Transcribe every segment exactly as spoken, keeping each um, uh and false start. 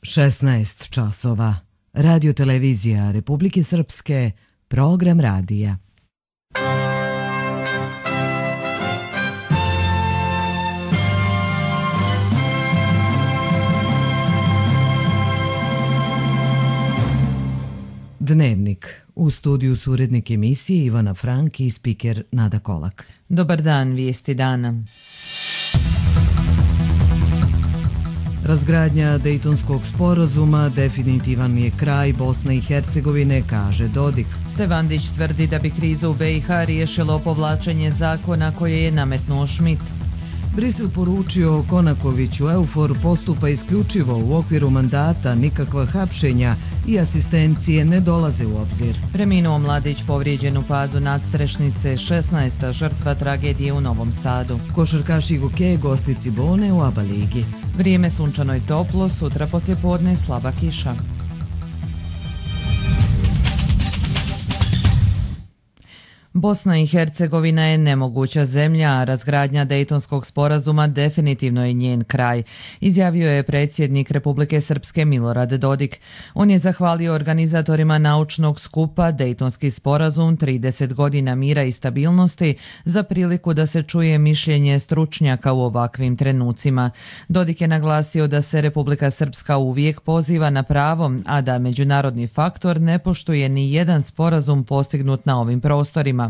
šesnaest časova. Radio televizija Republike Srpske, program radija. Dnevnik. U studiju su urednik emisije Ivana Frank i spiker Nada Kolak. Dobar dan, vijesti dana. Razgradnja Dejtonskog sporazuma definitivan je kraj Bosne i Hercegovine, kaže Dodik. Stevandić tvrdi da bi krizu u B i H riješilo povlačenje zakona koje je nametnuo Schmidt. Brisel poručio Konakoviću, Eufor postupa isključivo u okviru mandata, nikakva hapšenja i asistencije ne dolaze u obzir. Preminuo mladić povrijeđen u padu nadstrešnice, šesnaesta žrtva tragedije u Novom Sadu. Košarkaši Goke gosti Cibone u ABA ligi. Vrijeme sunčano i toplo, sutra poslijepodne slaba kiša. Bosna i Hercegovina je nemoguća zemlja, a razgradnja Dejtonskog sporazuma definitivno je njen kraj, izjavio je predsjednik Republike Srpske Milorad Dodik. On je zahvalio organizatorima naučnog skupa Dejtonski sporazum trideset godina mira i stabilnosti za priliku da se čuje mišljenje stručnjaka u ovakvim trenucima. Dodik je naglasio da se Republika Srpska uvijek poziva na pravo, a da međunarodni faktor ne poštuje ni jedan sporazum postignut na ovim prostorima.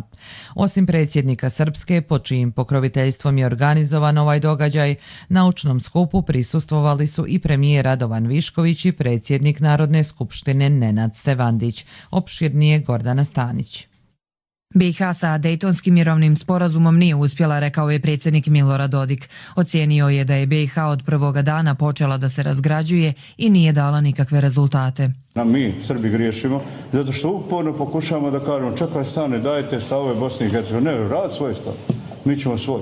Osim predsjednika Srpske, pod čijim pokroviteljstvom je organizovan ovaj događaj, naučnom skupu prisustvovali su i premijer Radovan Višković i predsjednik Narodne skupštine Nenad Stevandić. Opširnije Gordana Stanić. B i H sa Dejtonskim mirovnim sporazumom nije uspjela, rekao je predsjednik Milorad Dodik. Ocijenio je da je B i H od prvoga dana počela da se razgrađuje i nije dala nikakve rezultate. A mi, Srbi, griješimo, zato što uporno pokušamo da kažemo čekaj stane, dajte stavove Bosne i Hercegovine. Ne, rad svoj stav, mi ćemo svoj.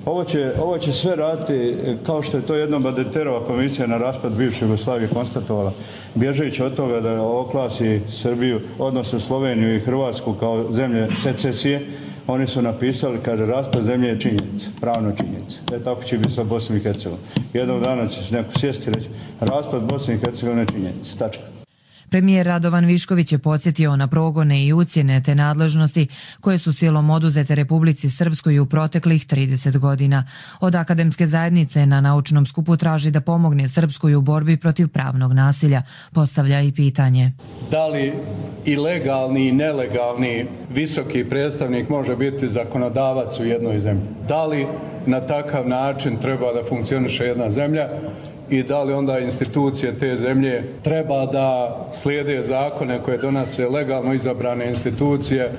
Ovo će, ovo će sve raditi kao što je to jednom Badenterova komisija na raspad bivše Jugoslavije konstatovala, bježeći od toga da oklasi Srbiju, odnosno Sloveniju i Hrvatsku kao zemlje secesije. Oni su napisali, kaže, raspad zemlje je činjenica, pravno činjenica. E tako će biti sa Bosnom i Hercegovinom. Jednog dana će se neko sjesti i reći, raspad Bosne i Hercegovine je činjenica, tačka. Premijer Radovan Višković je podsjetio na progone i ucjene te nadležnosti koje su silom oduzete Republici Srpskoj u proteklih trideset godina. Od akademske zajednice na naučnom skupu traži da pomogne Srpskoj u borbi protiv pravnog nasilja. Postavlja i pitanje. Da li i legalni i nelegalni visoki predstavnik može biti zakonodavac u jednoj zemlji? Da li na takav način treba da funkcioniše jedna zemlja? I da li onda institucije te zemlje treba da slijede zakone koje donose legalno izabrane institucije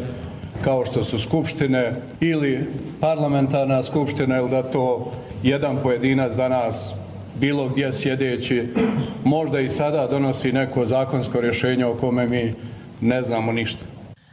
kao što su skupštine ili parlamentarna skupština, ili da to jedan pojedinac danas bilo gdje sjedeći možda i sada donosi neko zakonsko rješenje o kome mi ne znamo ništa.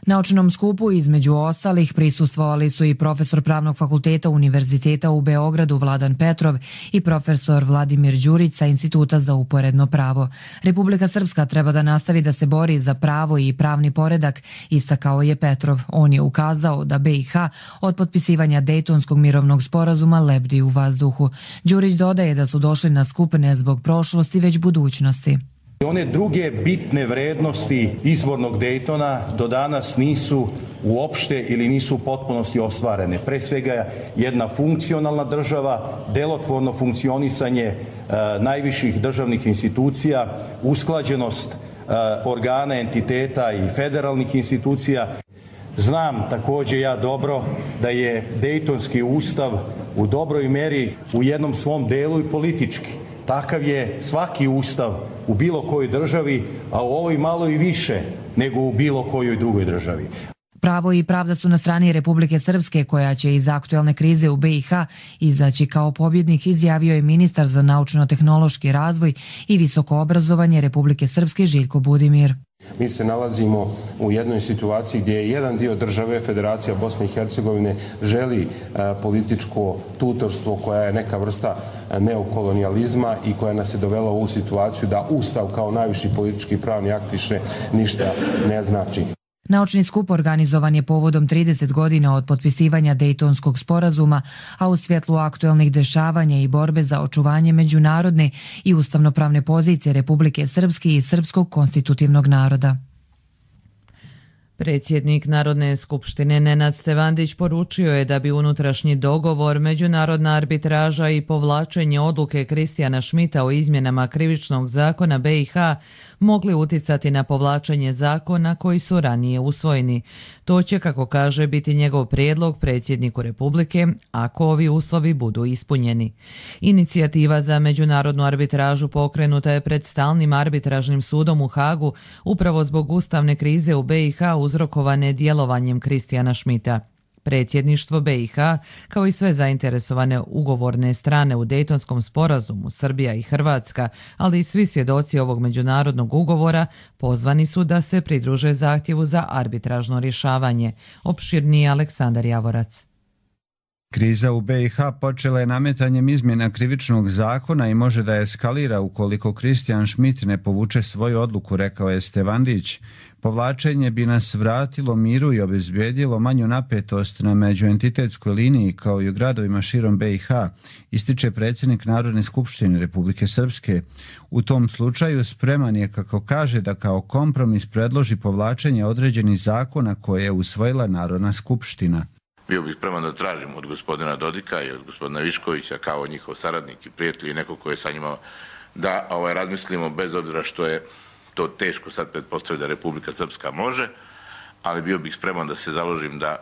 Naučnom skupu između ostalih prisustvovali su i profesor Pravnog fakulteta Univerziteta u Beogradu Vladan Petrov i profesor Vladimir Đurić sa Instituta za uporedno pravo. Republika Srpska treba da nastavi da se bori za pravo i pravni poredak, istakao je Petrov. On je ukazao da B i H od potpisivanja Dejtonskog mirovnog sporazuma lebdi u vazduhu. Đurić dodaje da su došli na skup ne zbog prošlosti, već budućnosti. One druge bitne vrednosti izvornog Dejtona do danas nisu uopšte ili nisu u potpunosti ostvarene. Pre svega jedna funkcionalna država, delotvorno funkcionisanje e, najviših državnih institucija, usklađenost e, organa, entiteta i federalnih institucija. Znam također ja dobro da je Dejtonski ustav u dobroj meri u jednom svom delu i politički. Takav je svaki ustav u bilo kojoj državi, a u ovoj malo i više nego u bilo kojoj drugoj državi. Pravo i pravda su na strani Republike Srpske, koja će iz aktuelne krize u B i H izaći kao pobjednik, izjavio je ministar za naučno-tehnološki razvoj i visoko obrazovanje Republike Srpske Željko Budimir. Mi se nalazimo u jednoj situaciji gdje je jedan dio države, Federacija Bosne i Hercegovine, želi političko tutorstvo koja je neka vrsta neokolonijalizma i koja nas je dovela u ovu situaciju da Ustav kao najviši politički pravni akt više ništa ne znači. Naučni skup organizovan je povodom trideset godina od potpisivanja Dejtonskog sporazuma, a u svjetlu aktuelnih dešavanja i borbe za očuvanje međunarodne i ustavnopravne pozicije Republike Srpske i srpskog konstitutivnog naroda. Predsjednik Narodne skupštine Nenad Stevandić poručio je da bi unutrašnji dogovor, međunarodna arbitraža i povlačenje odluke Kristijana Šmita o izmjenama krivičnog zakona B i H mogli uticati na povlačenje zakona koji su ranije usvojeni. To će, kako kaže, biti njegov prijedlog predsjedniku Republike ako ovi uslovi budu ispunjeni. Inicijativa za međunarodnu arbitražu pokrenuta je pred stalnim arbitražnim sudom u Hagu upravo zbog ustavne krize u B i H uzrokovane djelovanjem Kristijana Šmita. Predsjedništvo B i H, kao i sve zainteresovane ugovorne strane u Dejtonskom sporazumu, Srbija i Hrvatska, ali i svi svjedoci ovog međunarodnog ugovora, pozvani su da se pridruže zahtjevu za arbitražno rješavanje. Opširniji Aleksandar Javorac. Kriza u B i H počela je nametanjem izmjena krivičnog zakona i može da eskalira ukoliko Kristijan Šmit ne povuče svoju odluku, rekao je Stevandić. Povlačenje bi nas vratilo miru i obezbijedilo manju napetost na međuentitetskoj liniji kao i u gradovima širom B i H, ističe predsjednik Narodne skupštine Republike Srpske. U tom slučaju spreman je, kako kaže, da kao kompromis predloži povlačenje određenih zakona koje je usvojila Narodna skupština. Bio bih spreman da tražim od gospodina Dodika i od gospodina Viškovića kao njihov saradnik i prijatelj i neko ko je sa njima da ovaj, razmislimo, bez obzira što je to teško sad pretpostaviti da Republika Srpska može, ali bio bih spreman da se založim da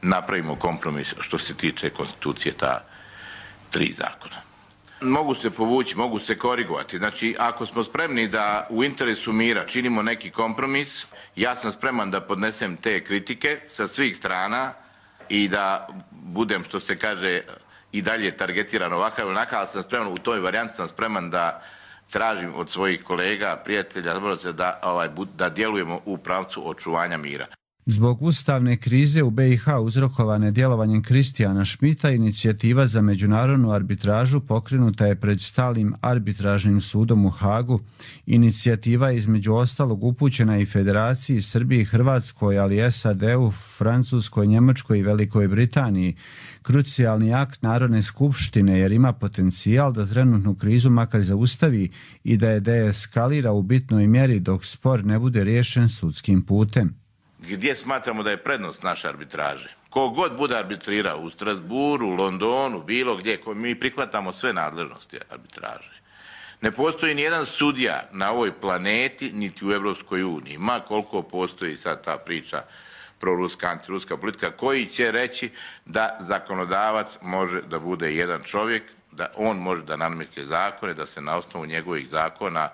napravimo kompromis što se tiče konstitucije ta tri zakona. Mogu se povući, mogu se korigovati. Znači, ako smo spremni da u interesu mira činimo neki kompromis, ja sam spreman da podnesem te kritike sa svih strana i da budem, što se kaže, i dalje targetiran ovakav ili onakav, ali sam spreman, u toj varijanti sam spreman da tražim od svojih kolega, prijatelja, da, ovaj, da djelujemo u pravcu očuvanja mira. Zbog ustavne krize u B i H uzrokovane djelovanjem Kristijana Šmita, inicijativa za međunarodnu arbitražu pokrenuta je pred stalnim arbitražnim sudom u Hagu. Inicijativa je između ostalog upućena i Federaciji Srbiji i Hrvatskoj, ali S A D-u, Francuskoj, Njemačkoj i Velikoj Britaniji. Krucijalni akt Narodne skupštine jer ima potencijal da trenutnu krizu makar zaustavi i da je deeskalira u bitnoj mjeri dok spor ne bude riješen sudskim putem. Gdje smatramo da je prednost naše arbitraže? Kogod bude arbitrirao u Strasburu, u Londonu, bilo gdje, mi prihvatamo sve nadležnosti arbitraže. Ne postoji ni jedan sudija na ovoj planeti, niti u Evropskoj uniji, ma koliko postoji sad ta priča proruska, antiruska politika, koji će reći da zakonodavac može da bude jedan čovjek, da on može da nameće zakone, da se na osnovu njegovih zakona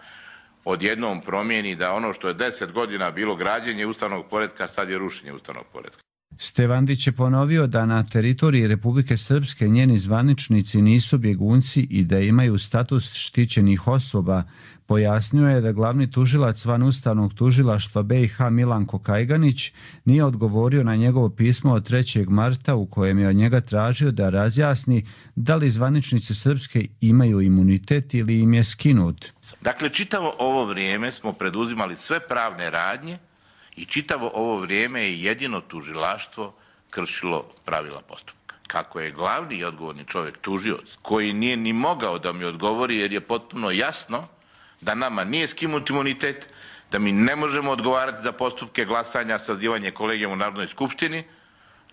odjednom promijeni, da ono što je deset godina bilo građenje ustavnog poretka, sad je rušenje ustavnog poretka. Stevandić je ponovio da na teritoriji Republike Srpske njeni zvaničnici nisu bjegunci i da imaju status štićenih osoba. Pojasnio je da glavni tužilac van ustavnog tužilaštva B i H Milanko Kajganić nije odgovorio na njegovo pismo od trećeg marta u kojem je od njega tražio da razjasni da li zvaničnici Srpske imaju imunitet ili im je skinut. Dakle, čitavo ovo vrijeme smo preduzimali sve pravne radnje i čitavo ovo vrijeme je jedino tužilaštvo kršilo pravila postupka. Kako je glavni i odgovorni čovjek tužioc, koji nije ni mogao da mi odgovori jer je potpuno jasno da nama nije skinut imunitet, da mi ne možemo odgovarati za postupke glasanja, sazivanje kolegijuma u Narodnoj skupštini,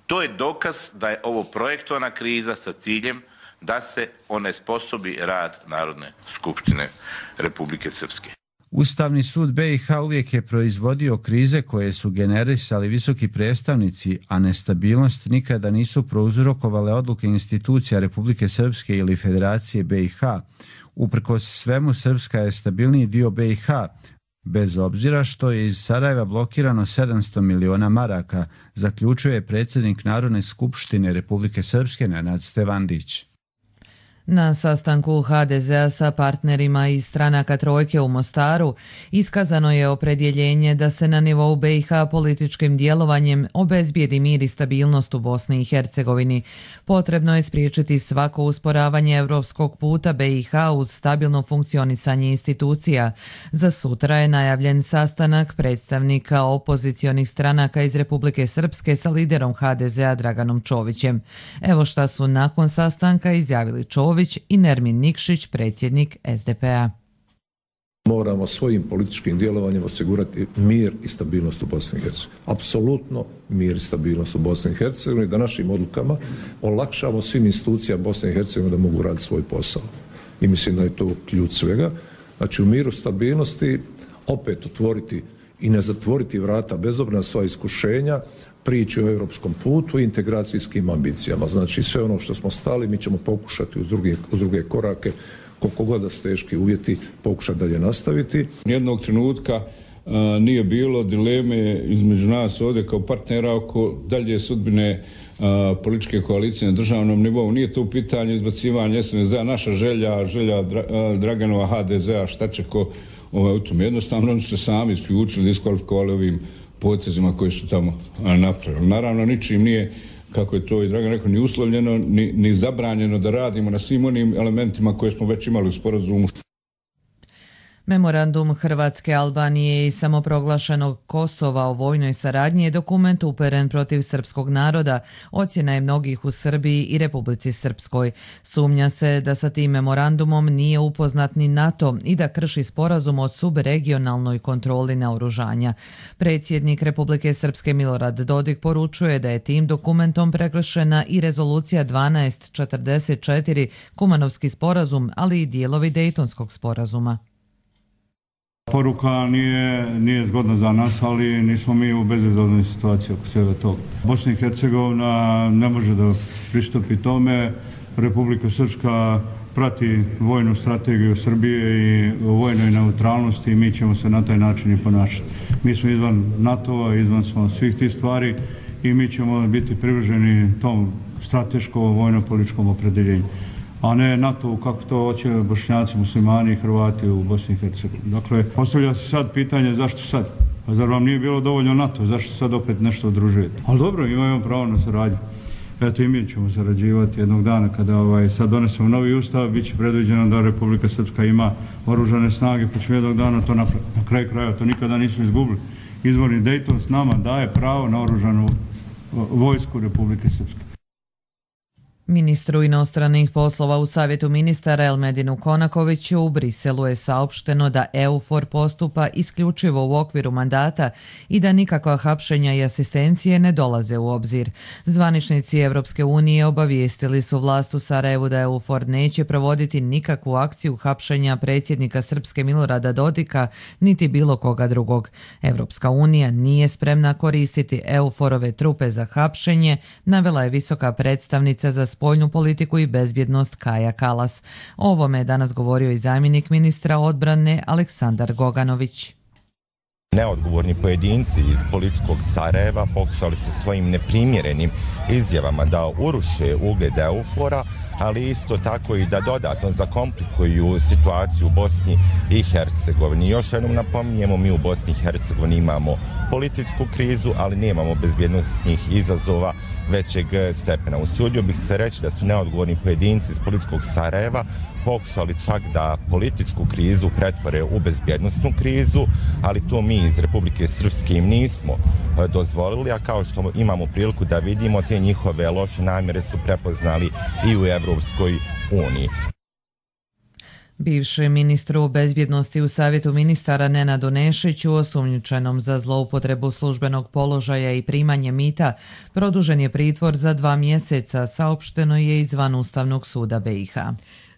to je dokaz da je ovo projektovana kriza sa ciljem da se onesposobi rad Narodne skupštine Republike Srpske. Ustavni sud B i H uvijek je proizvodio krize koje su generisali visoki predstavnici, a nestabilnost nikada nisu prouzrokovale odluke institucija Republike Srpske ili Federacije B i H. Uprkos svemu, Srpska je stabilniji dio B i H, bez obzira što je iz Sarajeva blokirano sedamsto miliona maraka, zaključuje predsjednik Narodne skupštine Republike Srpske Nenad Stevandić. Na sastanku ha de zea sa partnerima iz stranaka Trojke u Mostaru iskazano je opredjeljenje da se na nivou be i ha političkim djelovanjem obezbijedi mir i stabilnost u Bosni i Hercegovini. Potrebno je spriječiti svako usporavanje europskog puta be i ha uz stabilno funkcionisanje institucija. Za sutra je najavljen sastanak predstavnika opozicionih stranaka iz Republike Srpske sa liderom ha de zea Draganom Čovićem. Evo šta su nakon sastanka izjavili Čović i Nermin Nikšić, predsjednik es de pe a. Moramo svojim političkim djelovanjem osigurati mir i stabilnost u Bosni i Hercegovini. Apsolutno mir i stabilnost u Bosni i Hercegovini, da našim odlukama olakšamo svim institucijama Bosne i Hercegovine da mogu raditi svoj posao. I mislim da je to ključ svega. Znači u miru, stabilnosti opet otvoriti i ne zatvoriti vrata bez obzira na sva iskušenja, priči o europskom putu i integracijskim ambicijama. Znači sve ono što smo stali mi ćemo pokušati uz druge, uz druge korake, koliko god da su teški uvjeti, pokušati dalje nastaviti. Nijednog trenutka a, nije bilo dileme između nas ovdje kao partnera oko dalje sudbine a, političke koalicije na državnom nivou. Nije to u pitanju izbacivanja es en es de, naša želja, želja Dra, a, Draganova ha de zea, šta će ko ovaj, u tom. Jednostavno oni su se sami isključili, diskvalifikovali ovim potezima koji su tamo napravili. Naravno, ničim nije, kako je to i Dragan rekao, ni uslovljeno, ni, ni zabranjeno da radimo na svim onim elementima koje smo već imali u sporazumu. Memorandum Hrvatske, Albanije i samoproglašenog Kosova o vojnoj saradnji je dokument uperen protiv srpskog naroda, ocjena je mnogih u Srbiji i Republici Srpskoj. Sumnja se da sa tim memorandumom nije upoznat ni NATO i da krši sporazum o subregionalnoj kontroli naoružanja. Predsjednik Republike Srpske Milorad Dodik poručuje da je tim dokumentom prekršena i rezolucija dvanaest četrdeset četiri, Kumanovski sporazum, ali i dijelovi Dejtonskog sporazuma. Poruka nije, nije zgodna za nas, ali nismo mi u bezizlaznoj situaciji oko svega toga. Bosna i Hercegovina ne može da pristupi tome. Republika Srpska prati vojnu strategiju Srbije i vojnoj neutralnosti i mi ćemo se na taj način i ponašati. Mi smo izvan NATO-a, izvan smo svih tih stvari i mi ćemo biti privrženi tom strateškom vojno-političkom opredeljenju, a ne NATO kako to hoće Bošnjaci, muslimani i Hrvati u Bosni i Hercegovini. Dakle, postavlja se sad pitanje zašto sad? Pa zar vam nije bilo dovoljno NATO? Zašto sad opet nešto udružujete? Ali dobro, imamo pravo na saradnju. Eto i mi ćemo sarađivati jednog dana kada ovaj, sad donesemo novi ustav, bit će predviđeno da Republika Srpska ima oružane snage, pa ćemo jednog dana to napraviti. Na kraju kraja to nikada nismo izgubili. Izvorni Dejton s nama daje pravo na oružanu vojsku Republike Srpske. Ministru inostranih poslova u Savjetu ministara Elmedinu Konakoviću u Briselu je saopšteno da EUFOR postupa isključivo u okviru mandata i da nikakva hapšenja i asistencije ne dolaze u obzir. Zvaničnici Evropske unije obavijestili su vlast u Sarajevu da EUFOR neće provoditi nikakvu akciju hapšenja predsjednika Srpske Milorada Dodika niti bilo koga drugog. Evropska unija nije spremna koristiti EUFOR-ove trupe za hapšenje, navela je visoka predstavnica za spoljnu politiku i bezbjednost Kaja Kalas. O ovome je danas govorio i zamjenik ministra odbrane Aleksandar Goganović. Neodgovorni pojedinci iz političkog Sarajeva pokušali su svojim neprimjerenim izjavama da uruše ugled EUFOR-a, ali isto tako i da dodatno zakomplikuju situaciju u Bosni i Hercegovini. Još jednom napominjemo, mi u Bosni i Hercegovini imamo političku krizu, ali nemamo bezbjednostnih izazova većeg stepena. Usudio bih se reći da su neodgovorni pojedinci iz političkog Sarajeva pokušali čak da političku krizu pretvore u bezbjednostnu krizu, ali to mi iz Republike Srpske im nismo dozvolili, a kao što imamo priliku da vidimo, te njihove loše namjere su prepoznali i u Evropskoj uniji. Bivši ministru bezbjednosti u Savjetu ministara Nenadu Nešiću, osumnjičenom za zloupotrebu službenog položaja i primanje mita, produžen je pritvor za dva mjeseca, saopšteno je iz Vanustavnog suda be i ha.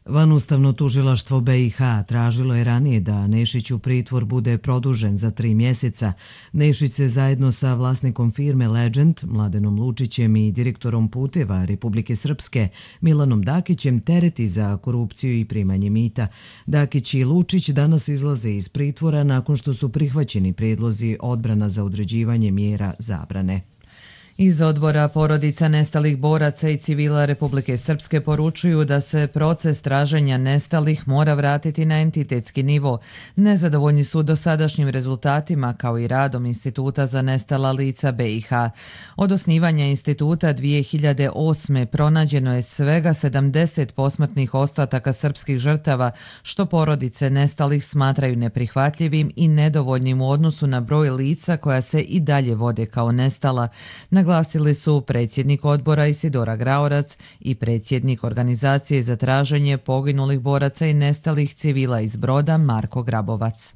Vanustavno tužilaštvo be i ha tražilo je ranije da Nešiću pritvor bude produžen za tri mjeseca. Nešić se zajedno sa vlasnikom firme Legend, Mladenom Lučićem i direktorom puteva Republike Srpske, Milanom Dakićem, tereti za korupciju i primanje mita. Dakić i Lučić danas izlaze iz pritvora nakon što su prihvaćeni prijedlozi odbrana za određivanje mjera zabrane. Iz odbora porodica nestalih boraca i civila Republike Srpske poručuju da se proces traženja nestalih mora vratiti na entitetski nivo. Nezadovoljni su dosadašnjim rezultatima kao i radom Instituta za nestala lica B i H. Od osnivanja instituta dvije hiljade osme. pronađeno je svega sedamdeset posmrtnih ostataka srpskih žrtava, što porodice nestalih smatraju neprihvatljivim i nedovoljnim u odnosu na broj lica koja se i dalje vode kao nestala. Naglasili su predsjednik odbora Isidora Graorac i predsjednik organizacije za traženje poginulih boraca i nestalih civila iz Broda Marko Grabovac.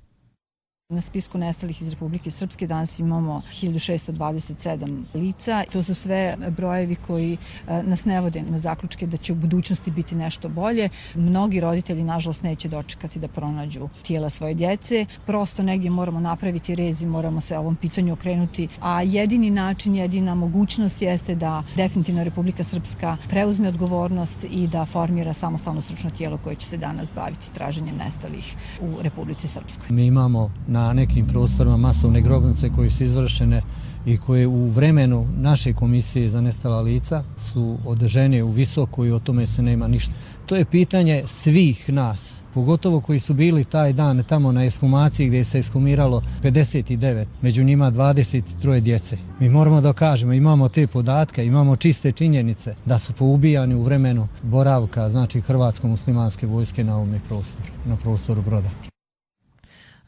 Na spisku nestalih iz Republike Srpske danas imamo hiljadu šessto dvadeset sedam lica. To su sve brojevi koji nas ne vode na zaključke da će u budućnosti biti nešto bolje. Mnogi roditelji, nažalost, neće dočekati da pronađu tijela svoje djece. Prosto negdje moramo napraviti rez i moramo se ovom pitanju okrenuti. A jedini način, jedina mogućnost jeste da definitivno Republika Srpska preuzme odgovornost i da formira samostalno stručno tijelo koje će se danas baviti traženjem nestalih u Republici Srpskoj. Mi imamo na na nekim prostorima masovne grobnice koje su izvršene i koje u vremenu naše komisije za nestala lica su održene u visoko i o tome se nema ništa. To je pitanje svih nas, pogotovo koji su bili taj dan tamo na ekshumaciji gdje se ekshumiralo pedeset devet, među njima dvadeset tri djece. Mi moramo da kažemo, imamo te podatke, imamo čiste činjenice da su poubijani u vremenu boravka, znači hrvatsko-muslimanske vojske na ovome prostoru, na prostoru Broda.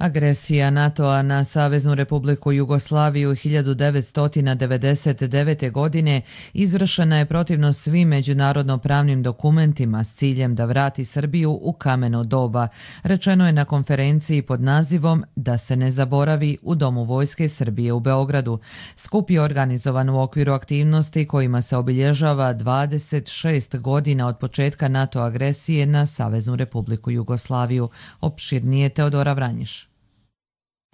Agresija NATO-a na Saveznu Republiku Jugoslaviju hiljadu devetsto devedeset devete. godine izvršena je protivno svim međunarodno-pravnim dokumentima s ciljem da vrati Srbiju u kameno doba, rečeno je na konferenciji pod nazivom Da se ne zaboravi u Domu Vojske Srbije u Beogradu. Skup je organizovan u okviru aktivnosti kojima se obilježava dvadeset šest godina od početka NATO agresije na Saveznu Republiku Jugoslaviju. Opširnije Teodora Vranjiš.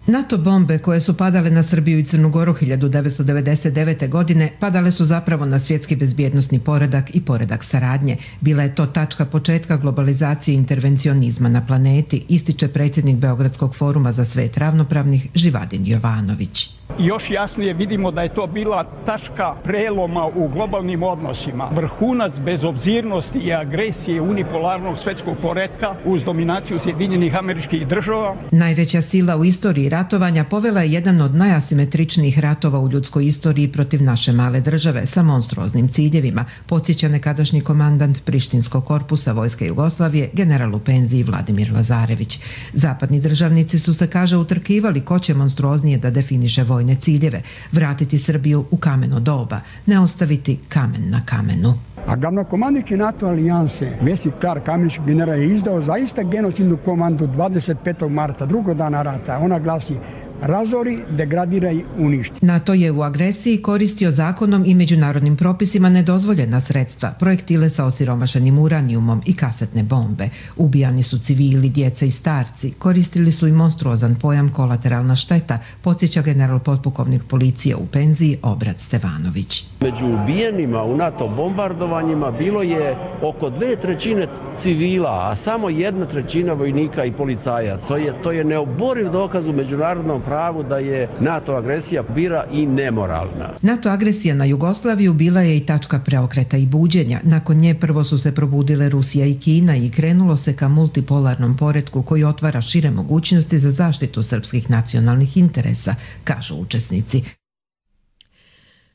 NATO bombe koje su padale na Srbiju i Crnu Goru hiljadu devetsto devedeset devete. godine padale su zapravo na svjetski bezbjednosni poredak i poredak saradnje. Bila je to tačka početka globalizacije i intervencionizma na planeti, ističe predsjednik Beogradskog foruma za svet ravnopravnih Živadin Jovanović. Još jasnije vidimo da je to bila tačka preloma u globalnim odnosima. Vrhunac bezobzirnosti i agresije unipolarnog svjetskog poretka uz dominaciju Sjedinjenih Američkih Država. Najveća sila u istoriji ratovanja povela je jedan od najasimetričnijih ratova u ljudskoj istoriji protiv naše male države sa monstruoznim ciljevima, podsjeća nekadašnji komandant Prištinskog korpusa Vojske Jugoslavije, general u penziji Vladimir Lazarević. Zapadni državnici su se, kaže, utrkivali ko će monstruoznije da definiše vojne ciljeve, vratiti Srbiju u kameno doba, ne ostaviti kamen na kamenu. A glavnokomandnik NATO alijanse Vesi Klar Kamenić general je izdao zaista genocidnu komandu dvadeset petog marta, drugog dana rata. Ona glasi: razori, degradiraj, uništi. NATO je u agresiji koristio zakonom i međunarodnim propisima nedozvoljena sredstva, projektile sa osiromašenim uranijumom i kasetne bombe. Ubijani su civili, djeca i starci, koristili su i monstruozan pojam kolateralna šteta, podsjeća general potpukovnik policije u penziji Obrat Stevanović. Među ubijenima u NATO bombardovanjima bilo je oko dve trećine civila, a samo jedna trećina vojnika i policajaca. To je, to je neoboriv dokaz u međunarodnom pravu da je NATO agresija bira i nemoralna. NATO agresija na Jugoslaviju bila je i tačka preokreta i buđenja. Nakon nje prvo su se probudile Rusija i Kina i krenulo se ka multipolarnom poretku koji otvara šire mogućnosti za zaštitu srpskih nacionalnih interesa, kažu učesnici.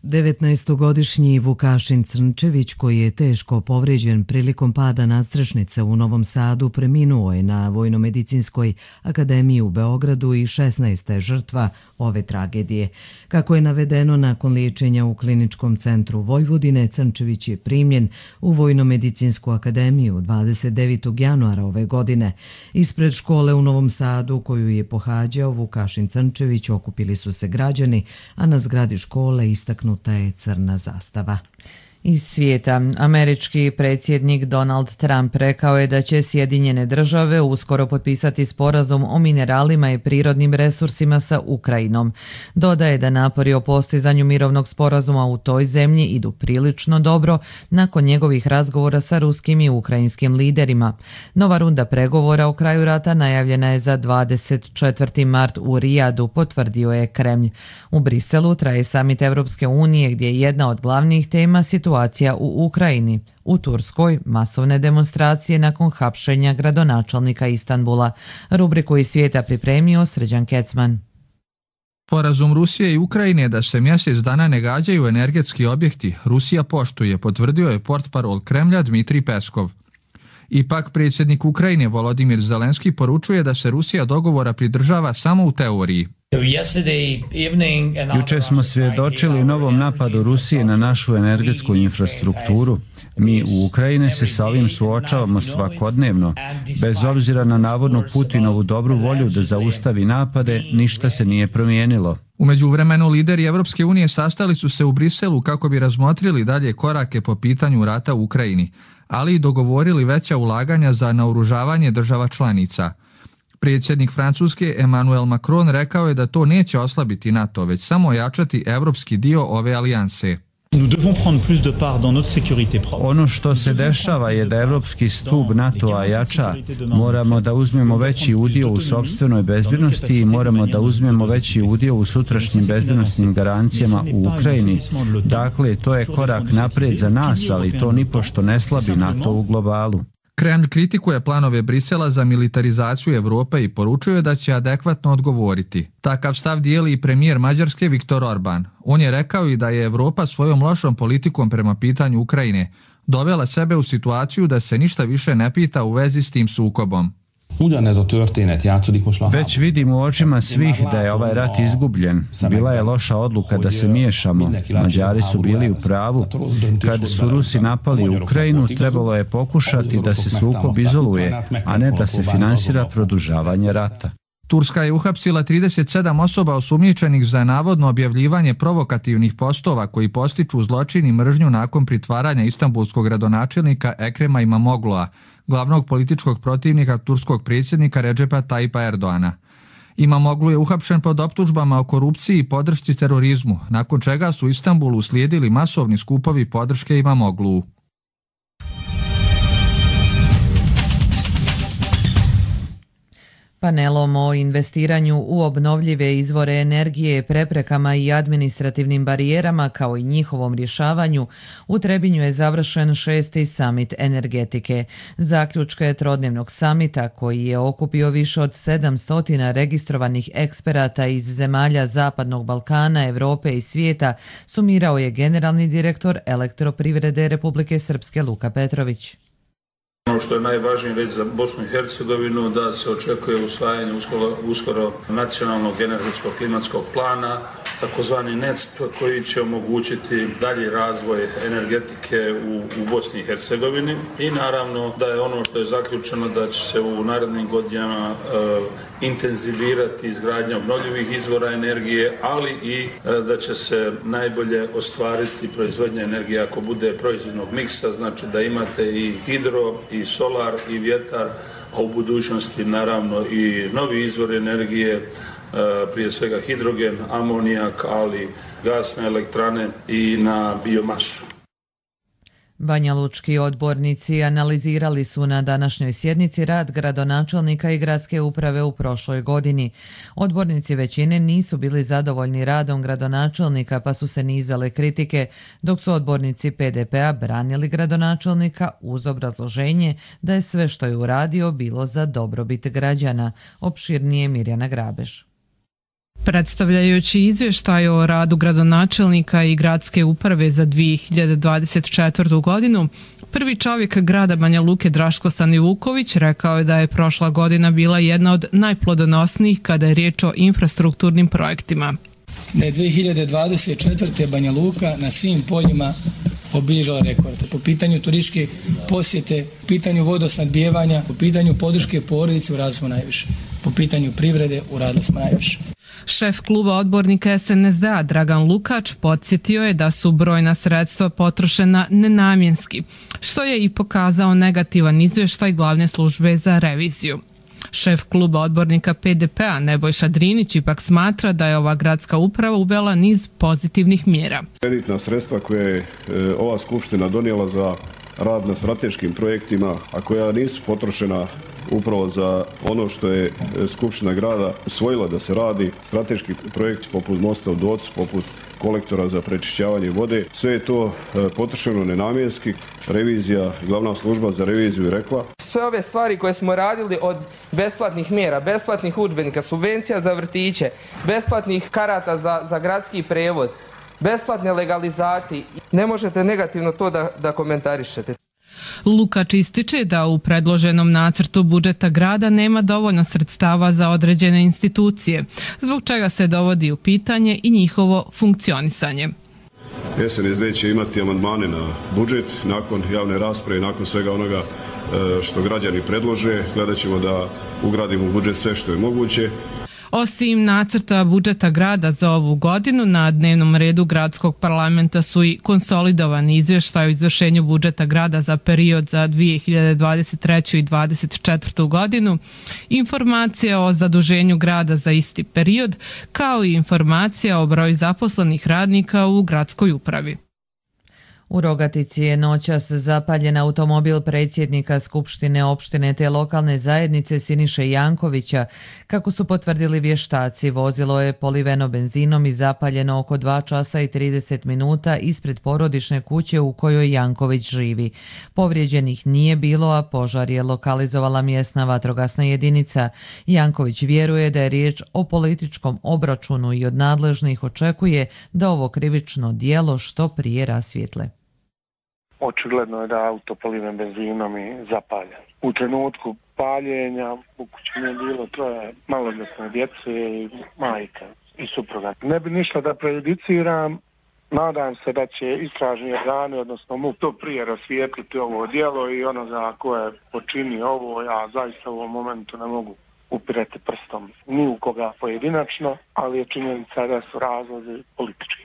devetnaestogodišnji Vukašin Crnčević, koji je teško povrijeđen prilikom pada nadstrešnice u Novom Sadu, preminuo je na Vojnomedicinskoj akademiji u Beogradu i šesnaesta je žrtva ove tragedije. Kako je navedeno, nakon liječenja u Kliničkom centru Vojvodine, Crnčević je primljen u Vojnomedicinsku akademiju dvadeset devetog januara ove godine. Ispred škole u Novom Sadu koju je pohađao Vukašin Crnčević okupili su se građani, a na zgradi škole istaknuta je crna zastava. Iz svijeta, američki predsjednik Donald Trump rekao je da će Sjedinjene države uskoro potpisati sporazum o mineralima i prirodnim resursima sa Ukrajinom. Dodaje da napori o postizanju mirovnog sporazuma u toj zemlji idu prilično dobro nakon njegovih razgovora sa ruskim i ukrajinskim liderima. Nova runda pregovora o kraju rata najavljena je za dvadeset četvrti mart u Rijadu, potvrdio je Kremlj. U Briselu traje samit Europske unije gdje je jedna od glavnih tema situacija Situacija u Ukrajini. U Turskoj masovne demonstracije nakon hapšenja gradonačelnika Istanbula. Rubriku iz svijeta pripremio Srđan Kecman. Sporazum Rusije i Ukrajine da se mjesec dana ne gađaju energetski objekti Rusija poštuje, potvrdio je portparol Kremlja Dmitrij Peskov. Ipak predsjednik Ukrajine Volodimir Zelenski poručuje da se Rusija dogovora pridržava samo u teoriji. Jučer smo svjedočili novom napadu Rusije na našu energetsku infrastrukturu. Mi u Ukrajini se sa ovim suočavamo svakodnevno. Bez obzira na navodnu Putinovu dobru volju da zaustavi napade, ništa se nije promijenilo. U međuvremenu lideri Evropske unije sastali su se u Briselu kako bi razmotrili dalje korake po pitanju rata u Ukrajini, ali i dogovorili veća ulaganja za naoružavanje država članica. Predsjednik Francuske Emmanuel Macron rekao je da to neće oslabiti NATO, već samo ojačati evropski dio ove alijanse. Ono što se dešava je da evropski stup NATO-a jača. Moramo da uzmemo veći udio u sopstvenoj bezbjednosti i moramo da uzmemo veći udio u sutrašnjim bezbjednosnim garancijama u Ukrajini. Dakle, to je korak naprijed za nas, ali to nipošto ne slabi NATO u globalu. Kremlj kritikuje planove Brisela za militarizaciju Evrope i poručuje da će adekvatno odgovoriti. Takav stav dijeli i premijer Mađarske Viktor Orban. On je rekao i da je Evropa svojom lošom politikom prema pitanju Ukrajine dovela sebe u situaciju da se ništa više ne pita u vezi s tim sukobom. Već vidim u očima svih da je ovaj rat izgubljen. Bila je loša odluka da se miješamo. Mađari su bili u pravu. Kad su Rusi napali Ukrajinu, trebalo je pokušati da se sukob izoluje, a ne da se finansira produžavanje rata. Turska je uhapsila trideset sedam osoba osumnjičenih za navodno objavljivanje provokativnih postova koji postiču zločin i mržnju nakon pritvaranja istanbulskog gradonačelnika Ekrema Imamoglu'a, glavnog političkog protivnika turskog predsjednika Redžepa Tayyipa Erdoana. Imamoglu je uhapšen pod optužbama o korupciji i podršci terorizmu, nakon čega su u Istanbulu uslijedili masovni skupovi podrške Imamoglu'u. Panelom o investiranju u obnovljive izvore energije, preprekama i administrativnim barijerama kao i njihovom rješavanju, u Trebinju je završen šesti samit energetike. Zaključke trodnevnog samita, koji je okupio više od sedamsto registrovanih eksperata iz zemalja Zapadnog Balkana, Evrope i svijeta, sumirao je generalni direktor Elektroprivrede Republike Srpske Luka Petrović. Ono što je najvažnije reći za Bosnu i Hercegovinu, da se očekuje usvajanje uskoro, uskoro nacionalnog energetskog klimatskog plana, takozvani N E C P, koji će omogućiti dalji razvoj energetike u, u Bosni i Hercegovini. I naravno da je ono što je zaključeno da će se u narednim godinama e, intenzivirati izgradnja obnovljivih izvora energije, ali i e, da će se najbolje ostvariti proizvodnja energije ako bude proizvodnog miksa, znači da imate i hidro, i solar, i vjetar, a u budućnosti naravno i novi izvor energije, prije svega hidrogen, amonijak, ali gasne elektrane i na biomasu. Banjalučki odbornici analizirali su na današnjoj sjednici rad gradonačelnika i gradske uprave u prošloj godini. Odbornici većine nisu bili zadovoljni radom gradonačelnika pa su se nizale kritike, dok su odbornici P D P-a branili gradonačelnika uz obrazloženje da je sve što je uradio bilo za dobrobit građana. Opširnije Mirjana Grabeš. Predstavljajući izvještaj o radu gradonačelnika i gradske uprave za dvije hiljade dvadeset četvrtu. godinu, prvi čovjek grada Banja Luke Draško Stanivuković rekao je da je prošla godina bila jedna od najplodonosnijih kada je riječ o infrastrukturnim projektima. Da je dvije hiljade dvadeset četvrte. Banja Luka na svim poljima obilježila rekorde. Po pitanju turističke posjete, po pitanju vodosnadbijevanja, po pitanju podrške porodice uradili smo najviše. Po pitanju privrede uradili smo najviše. Šef kluba odbornika es en es de a Dragan Lukač podsjetio je da su brojna sredstva potrošena nenamjenski, što je i pokazao negativan izvještaj glavne službe za reviziju. Šef kluba odbornika pe de pe a Nebojša Drinić ipak smatra da je ova gradska uprava uvela niz pozitivnih mjera. Kreditna sredstva koje je ova skupština donijela za rad na strateškim projektima, a koja nisu potrošena upravo za ono što je Skupština grada usvojila da se radi, strateški projekti poput mosta u Docu, poput kolektora za prečišćavanje vode, sve je to potrošeno nenamjenski. Revizija, glavna služba za reviziju je rekla. Sve ove stvari koje smo radili od besplatnih mjera, besplatnih udžbenika, subvencija za vrtiće, besplatnih karata za, za gradski prevoz, besplatne legalizacije, ne možete negativno to da, da komentarišete. Lukač ističe da u predloženom nacrtu budžeta grada nema dovoljno sredstava za određene institucije, zbog čega se dovodi u pitanje i njihovo funkcionisanje. es en es de će imati amandmane na budžet nakon javne rasprave, nakon svega onoga što građani predlože. Gledat ćemo da ugradimo u budžet sve što je moguće. Osim nacrta budžeta grada za ovu godinu, na dnevnom redu gradskog parlamenta su i konsolidovani izvještaj o izvršenju budžeta grada za period za dvije hiljade dvadeset treću. i dvadeset četvrtu. godinu, informacija o zaduženju grada za isti period, kao i informacija o broju zaposlenih radnika u gradskoj upravi. U Rogatici je noćas zapaljen automobil predsjednika Skupštine opštine te lokalne zajednice Siniše Jankovića. Kako su potvrdili vještaci, vozilo je poliveno benzinom i zapaljeno oko dva časa i trideset minuta ispred porodične kuće u kojoj Janković živi. Povrijeđenih nije bilo, a požar je lokalizovala mjesna vatrogasna jedinica. Janković vjeruje da je riječ o političkom obračunu i od nadležnih očekuje da ovo krivično djelo što prije rasvijetle. Očigledno je da je auto poliven benzinom i zapaljen. U trenutku paljenja u kući mi je bilo troje maloljetne djece i majka i supruga. Ne bi ništa da prejudiciram, nadam se da će istražni organi, odnosno M U P, to prije rasvijetliti ovo djelo i onoga ko je počinio ovo. Ja zaista u ovom momentu ne mogu upirati prstom ni u koga pojedinačno, ali je činjenica da su razlozi politički.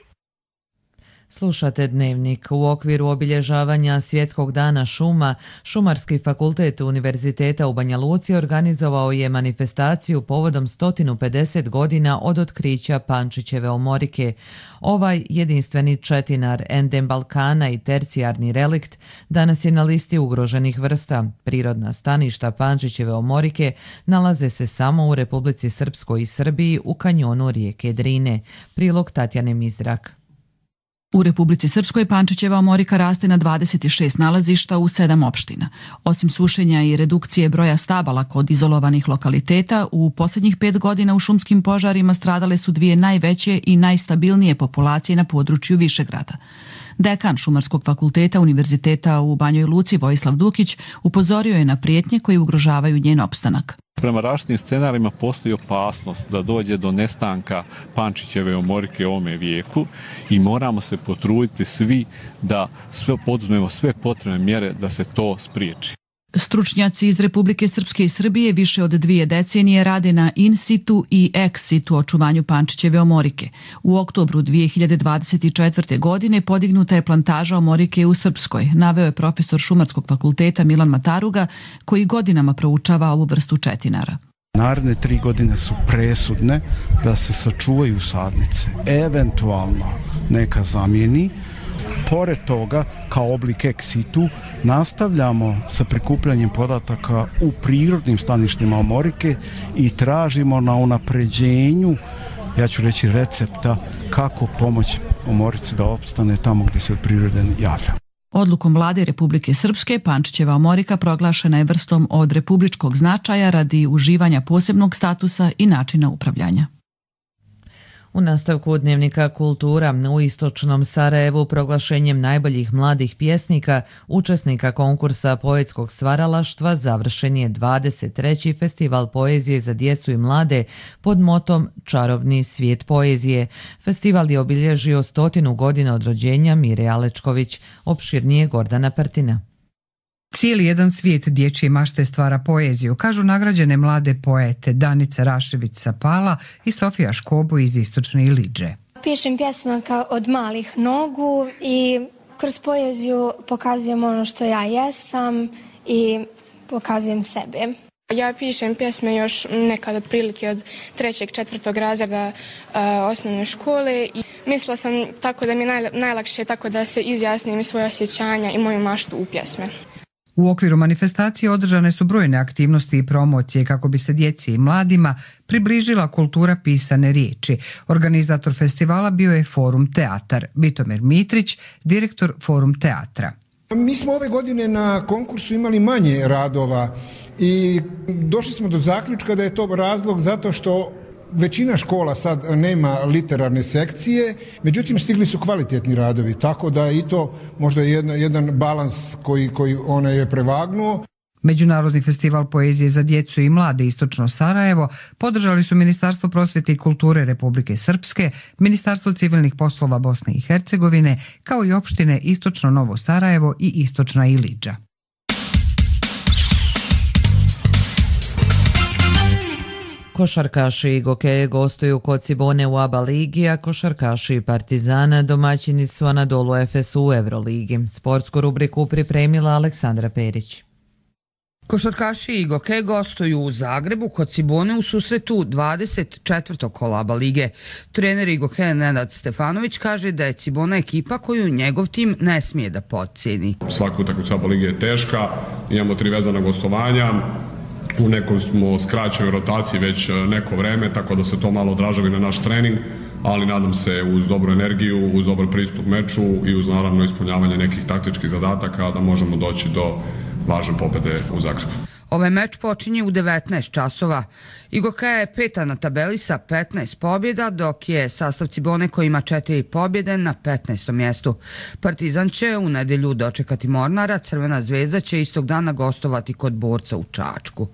Slušate Dnevnik. U okviru obilježavanja Svjetskog dana šuma, Šumarski fakultet Univerziteta u Banja Luci organizovao je manifestaciju povodom sto pedeset godina od otkrića Pančićeve omorike. Ovaj jedinstveni četinar, endem Balkana i tercijarni relikt danas je na listi ugroženih vrsta. Prirodna staništa Pančićeve omorike nalaze se samo u Republici Srpskoj i Srbiji u kanjonu rijeke Drine. Prilog Tatjane Mizrak. U Republici Srpskoj Pančićeva omorika raste na dvadeset šest nalazišta u sedam opština. Osim sušenja i redukcije broja stabala kod izolovanih lokaliteta, u posljednjih pet godina u šumskim požarima stradale su dvije najveće i najstabilnije populacije na području Višegrada. Dekan Šumarskog fakulteta Univerziteta u Banjoj Luci Vojislav Dukić upozorio je na prijetnje koje ugrožavaju njen opstanak. Prema različitim scenarima postoji opasnost da dođe do nestanka Pančićeve omorike u ovome vijeku i moramo se potruditi svi da sve poduzmemo sve potrebne mjere da se to spriječi. Stručnjaci iz Republike Srpske i Srbije više od dvije decenije rade na in situ i ex situ očuvanju Pančićeve omorike. U oktobru dvije hiljade dvadeset četvrte. godine podignuta je plantaža omorike u Srpskoj, naveo je profesor Šumarskog fakulteta Milan Mataruga, koji godinama proučava ovu vrstu četinara. Naredne tri godine su presudne da se sačuvaju sadnice, eventualno neka zamijeni. Pored toga, kao oblik ex situ, nastavljamo sa prikupljanjem podataka u prirodnim staništima omorike i tražimo na unapređenju, ja ću reći, recepta kako pomoći omorici da opstane tamo gdje se od prirode javlja. Odlukom Vlade Republike Srpske, Pančićeva omorika proglašena je vrstom od republičkog značaja radi uživanja posebnog statusa i načina upravljanja. U nastavku Dnevnika kultura u istočnom Sarajevu proglašenjem najboljih mladih pjesnika, učesnika konkursa poetskog stvaralaštva, završen je dvadeset treći festival poezije za djecu i mlade pod motom Čarobni svijet poezije. Festival je obilježio stotinu godina od rođenja Mire Alečković, opširnije Gordana Prtina. Cijeli jedan svijet dječje mašte stvara poeziju, kažu nagrađene mlade poete Danica Rašević-Sapala i Sofija Škobo iz Istočne Ilidže. Pišem pjesme od malih nogu i kroz poeziju pokazujem ono što ja jesam i pokazujem sebe. Ja pišem pjesme još nekad otprilike od trećeg, četvrtog razreda uh, osnovne škole i mislila sam tako da mi je najlakše tako da se izjasnim svoje osjećanja i moju maštu u pjesme. U okviru manifestacije održane su brojne aktivnosti i promocije kako bi se djeci i mladima približila kultura pisane riječi. Organizator festivala bio je Forum Teatar. Bitomer Mitrić, direktor Forum Teatra. Mi smo ove godine na konkursu imali manje radova i došli smo do zaključka da je to razlog zato što većina škola sad nema literarne sekcije, međutim stigli su kvalitetni radovi, tako da i to možda je jedan, jedan balans koji, koji ona je prevagnuo. Međunarodni festival poezije za djecu i mlade Istočno Sarajevo podržali su Ministarstvo prosvjete i kulture Republike Srpske, Ministarstvo civilnih poslova Bosne i Hercegovine, kao i opštine Istočno Novo Sarajevo i Istočna Ilidža. Košarkaši i Gokeje gostuju kod Cibone u ABA ligi, a košarkaši i Partizana domaćini su Anadolu Efesu u Euroligi. Sportsku rubriku pripremila Aleksandra Perić. Košarkaši i Gokeje gostuju u Zagrebu kod Cibone u susretu dvadeset četvrtog kola ABA lige. Trener i Gokeja Nenad Stefanović kaže da je Cibona ekipa koju njegov tim ne smije da potcijeni. Svaka utakmica ABA lige je teška, imamo tri vezana gostovanja. U nekoj smo skraćenoj rotaciji već neko vreme, tako da se to malo odražava na naš trening, ali nadam se uz dobru energiju, uz dobar pristup meču i uz naravno ispunjavanje nekih taktičkih zadataka da možemo doći do važne pobjede u Zagrebu. Ovaj meč počinje u devetnaest časova. Gokeja je peta na tabeli sa petnaest pobjeda, dok je sastav Cibone koji ima četiri pobjede na petnaestom mjestu. Partizan će u nedjelju dočekati Mornara, Crvena zvezda će istog dana gostovati kod Borca u Čačku.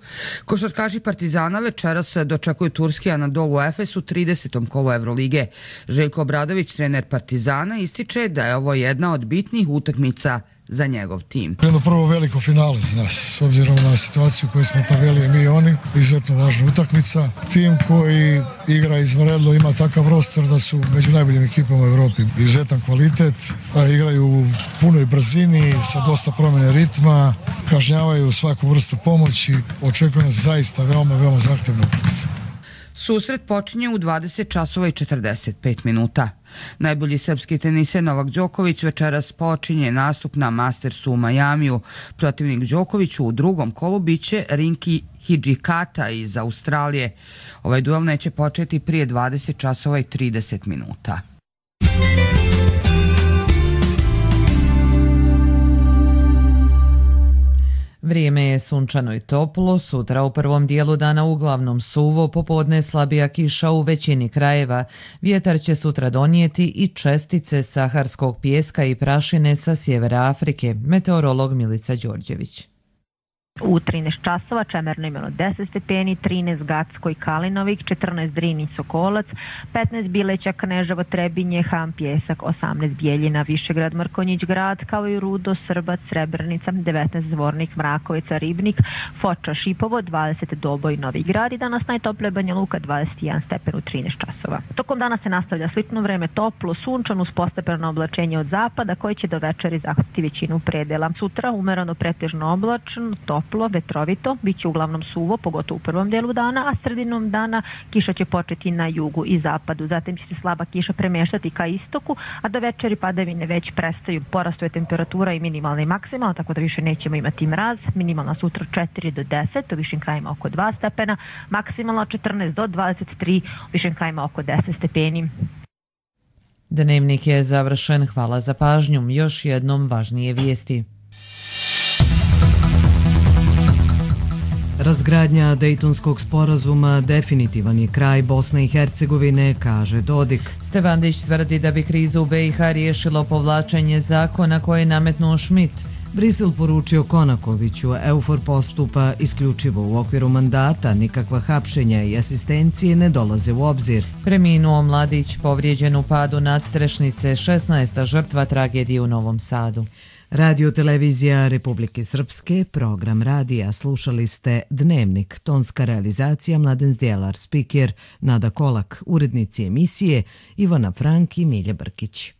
Košarkaši Partizana večeras dočekuju turski Anadolu Efes u tridesetom kolu Evrolige. Željko Obradović, trener Partizana, ističe da je ovo jedna od bitnih utakmica za njegov tim. Jedno prvo veliko finale za nas, s obzirom na situaciju koju smo tabeli mi i oni, izuzetno važna utakmica. Tim koji igra izvanredno, ima takav roster da su među najboljim ekipama u Evropi. Izuzetan kvalitet, a igraju u punoj brzini, sa dosta promjene ritma, kažnjavaju svaku vrstu pomoći, očekuje nas zaista veoma, veoma zahtevna utakmica. Susret počinje u dvadeset časova i četrdeset pet minuta. Najbolji srpski teniser Novak Đoković večeras počinje nastup na Mastersu u Majamiju. Protivnik Đokoviću u drugom kolu biće Rinki Hidžikata iz Australije. Ovaj duel neće početi prije dvadeset časova i trideset minuta. Vrijeme je sunčano i toplo, sutra u prvom dijelu dana uglavnom suvo, popodne slabija kiša u većini krajeva. Vjetar će sutra donijeti i čestice saharskog pijeska i prašine sa sjevera Afrike. Meteorolog Milica Đorđević. U trinaest časova Čemerno imeno deset stepeni, trinaest Gacko i Kalinovik, četrnaest Drin i Sokolac, petnaest Bileća, Kneževo, Trebinje, Ham, Pjesak, osamnaest Bijeljina, Višegrad, Mrkonjić grad, kao i Rudo, Srbac, Srebrenica, devetnaest Zvornik, Mrakovica, Ribnik, Foča, Šipovo, dvadeset Doboj, Novi Grad i danas najtoplije Banja Luka, dvadeset jedan stepen u trinaest časova. Tokom dana se nastavlja slično vreme, toplo, sunčano uz postepeno oblačenje od zapada koji će do večeri zahvatiti većinu predela. Sutra umereno pretežno oblačno, toplo, vetrovito, bit će uglavnom suvo, pogotovo u prvom dijelu dana, a sredinom dana kiša će početi na jugu i zapadu. Zatim će se slaba kiša premeštati ka istoku, a do večeri padavine već prestaju. Porastuje temperatura i minimalna i maksimalna, tako da više nećemo imati mraz. Minimalna sutra četiri do deset, u višim krajima oko dva stepena, maksimalna četrnaest do dvadeset tri, u višim krajima oko deset stepeni. Dnevnik je završen, hvala za pažnju. Još jednom važnije vijesti. Razgradnja Dejtonskog sporazuma definitivan je kraj Bosne i Hercegovine, kaže Dodik. Stevandić tvrdi da bi krizu u be i ha riješilo povlačenje zakona koje je nametnuo Schmidt. Brisel poručio Konakoviću, EUFOR postupa isključivo u okviru mandata, nikakva hapšenja i asistencije ne dolaze u obzir. Preminuo mladić povrijeđen u padu nadstrešnice, šesnaesta žrtva tragedije u Novom Sadu. Radio televizija Republike Srpske, program radija, slušali ste Dnevnik, tonska realizacija Mladen Zdjelar, spiker Nada Kolak, urednici emisije Ivana Frank i Milja Brkić.